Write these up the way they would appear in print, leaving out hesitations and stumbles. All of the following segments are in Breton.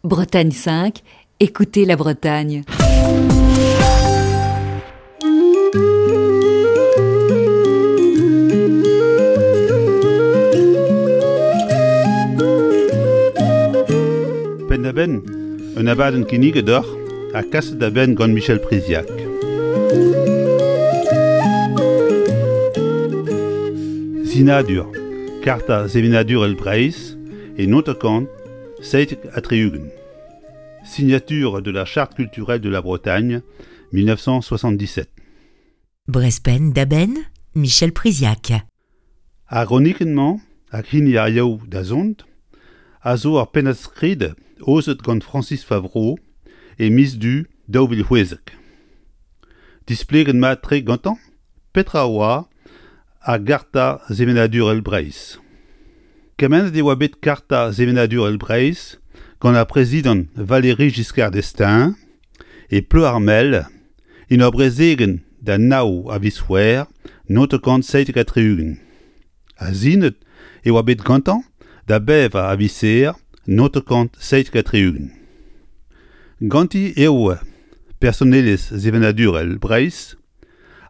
Bretagne 5, écoutez la Bretagne. Penn-da-benn, un abadenn kinniget deoc'h ha kaset da benn gant Michel Priziac. Sinadur, karta sevenadurel Breizh e Nontacant 77. Signature de la Charte culturelle de la Bretagne, 1977. Brezhpenn da benn, Michel Priziac. Ar gronikenn-mañ hag hini ar Yaou da zont a zo ur pennad-skrid aozet gant Francis Favreau e miz Du 2016. Displeget mat-tre gantañ petra oa ar Garta sevenadurel Breizh. Kemennet e oa bet Karta sevenadurel Breizh gant ar prezidant Valéry Giscard d'Estaing e Ploermel en ur brezegenn da nav a viz C'hwevrer 1977. Ha sinet e oa bet gantañ da bevar a viz Here 1977. Ganti eo personelezh sevenadurel Breizh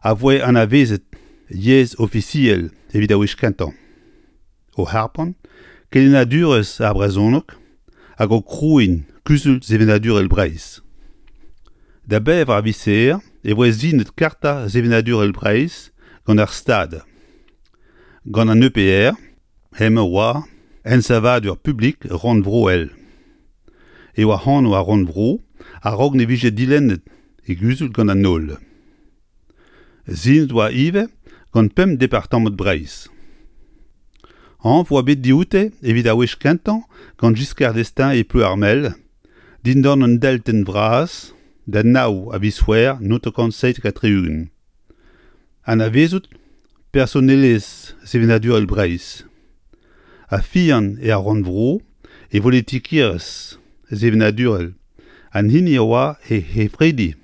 a voe anavezet yezh ofisiel evit ar wech kentañ, o harpañ kelennadurezh ar brezhoneg hag o krouiñ Kuzul Sevenadurel Breizh. Da bevar viz Here e voe sinet Karta Sevenadurel Breizh gant ar Stad. Gant an EPR hemañ oa ensavadur publik rannvroel e oa anv ar rannvro a-raok ne vije dilennet e guzul gant an holl. Sinet oa ivez gant pemp departamant Breizh. Anv oa bet dioute evit ar wech kentañ gant Giscard d'Estaing e Ploermel, dindan un deltenn vras da nav a viz C'hwevrer 1977. Anavezout personelezh sevenadurel Breizh ha fiziañ er rannvro e volitikerezh sevenadurel an hini a oa he c'hefridi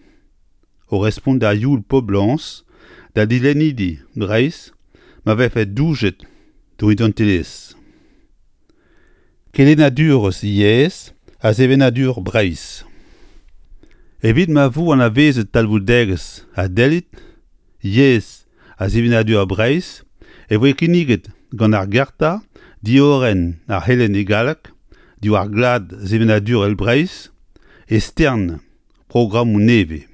o respont da youl poblañs da dilennidi Breizh ma vefe doujet d'o identelezh. Kelennadurezh yezh ha sevenadur Breizh. Evit ma vo anavezet talvoudegezh ha dellid yezh ha sevenadur Breizh e voe kinniget gant ar Garta diorren ar c'helenn e galleg diwar glad sevenadurel Breizh e stern programmoù nevez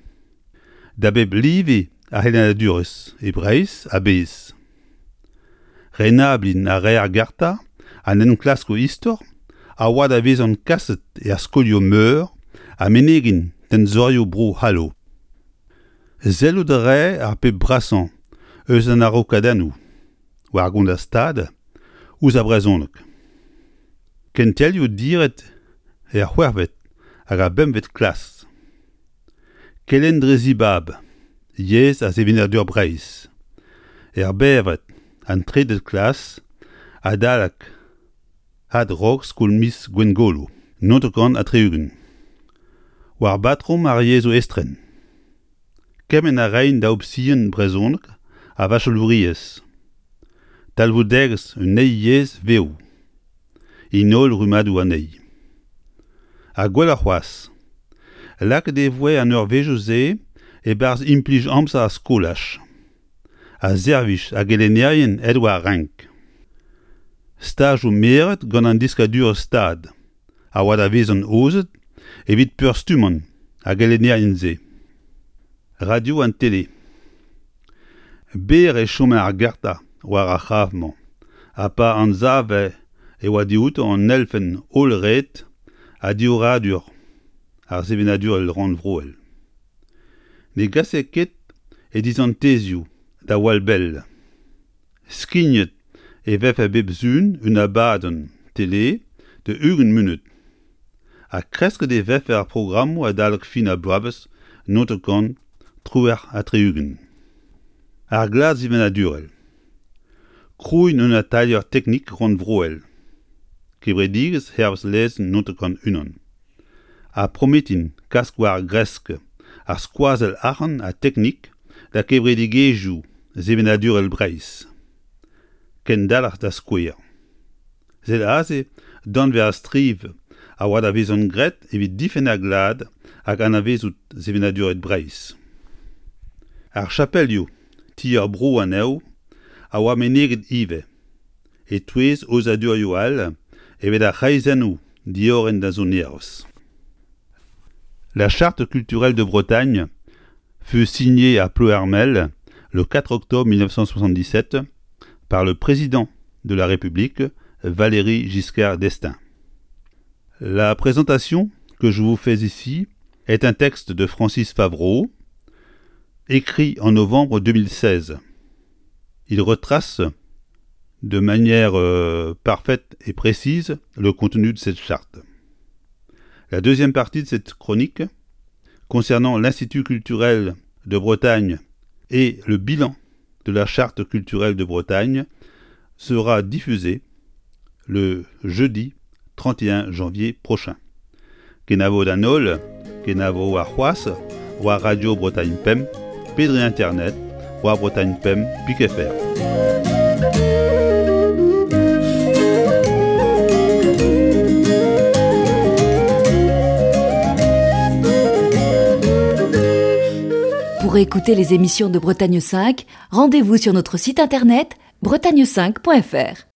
da bep live ar c'helennadurezh e Breizh a-bezh. Renabliñ a rae ar garta an enklaskoù istor a oa da vezañ kaset er skolioù-meur ha menegiñ tenzorioù Bro-C'hallo. Sellout a rae ar pep brasañ eus an araokadennoù war gont ar Stad ouzh ar brezhoneg. Kentelioù diret er c'hwec'hvet hag ar bempvet klas. Kelenn dre zibab, yezh ha sevenadur Breizh. Er bevred, an trede klas, adalek adrog skol miz Gwengolo, 99. War batrom ar yezhoù estren. Kement a raent da opsion brezhoneg ha vachelouriezh. Talvoudegezh un eil yezh vev. En holl rummadoù anezhi. Ha gwelloc'h c'hoazh, lakaet e voe an eurvezhioù-se e-barzh implij amzer ar skolaj ha servij ar gelennerien aet war renk. Stajoù meret gant an deskadurezh Stad a oa da vezañ aozet evit peurstummañ ar gelennerien-se. Radio an tele. Berr e chome ar garta war ar c'hraf-mañ ha pa anzave e oa dioutañ an elfenn hollret ha diorroadur ar sevenadurel rannvroel. Ne gase ket e dizantezioù da wall bell. Skignet e vefe bep sizhun un abadenn tele da 20 munut ha kresket e vefe ar programmoù adalek fin ar bloavezh 1978. Ar glad sevenadurel. Krouiñ un atalier teknik rannvroel. Kevredigezh hervez lezenn 91. Ha prometiñ kas war gresk ar skoazell arc'hant ha teknik da kevredigezhioù sevenadurel Breizh. Kendalc'h da skouer. Sed aze danvez ar striv a a oa da vezan graet evit difenn ar glad hag anavezout sevenaduret Breizh. Ar chapelioù, ti ar bro anezho, a oa meneget ivez, e-touez aozadurioù all evit ar c'hreizennoù diorren da sonerezh. La Charte culturelle de Bretagne fut signée à Ploermel le 4 octobre 1977 par le président de la République, Valéry Giscard d'Estaing. La présentation que je vous fais ici est un texte de Francis Favreau, écrit en novembre 2016. Il retrace de manière euh, parfaite et précise le contenu de cette charte. La deuxième partie de cette chronique concernant l'Institut culturel de Bretagne et le bilan de la charte culturelle de Bretagne sera diffusée le jeudi 31 janvier prochain. Kenavo d'an holl, kenavo warc'hoazh war Radio Bretagne Pemp pe dre internet war Bretagne Pemp pik FR. Pour écouter les émissions de Bretagne 5, rendez-vous sur notre site internet bretagne5.fr.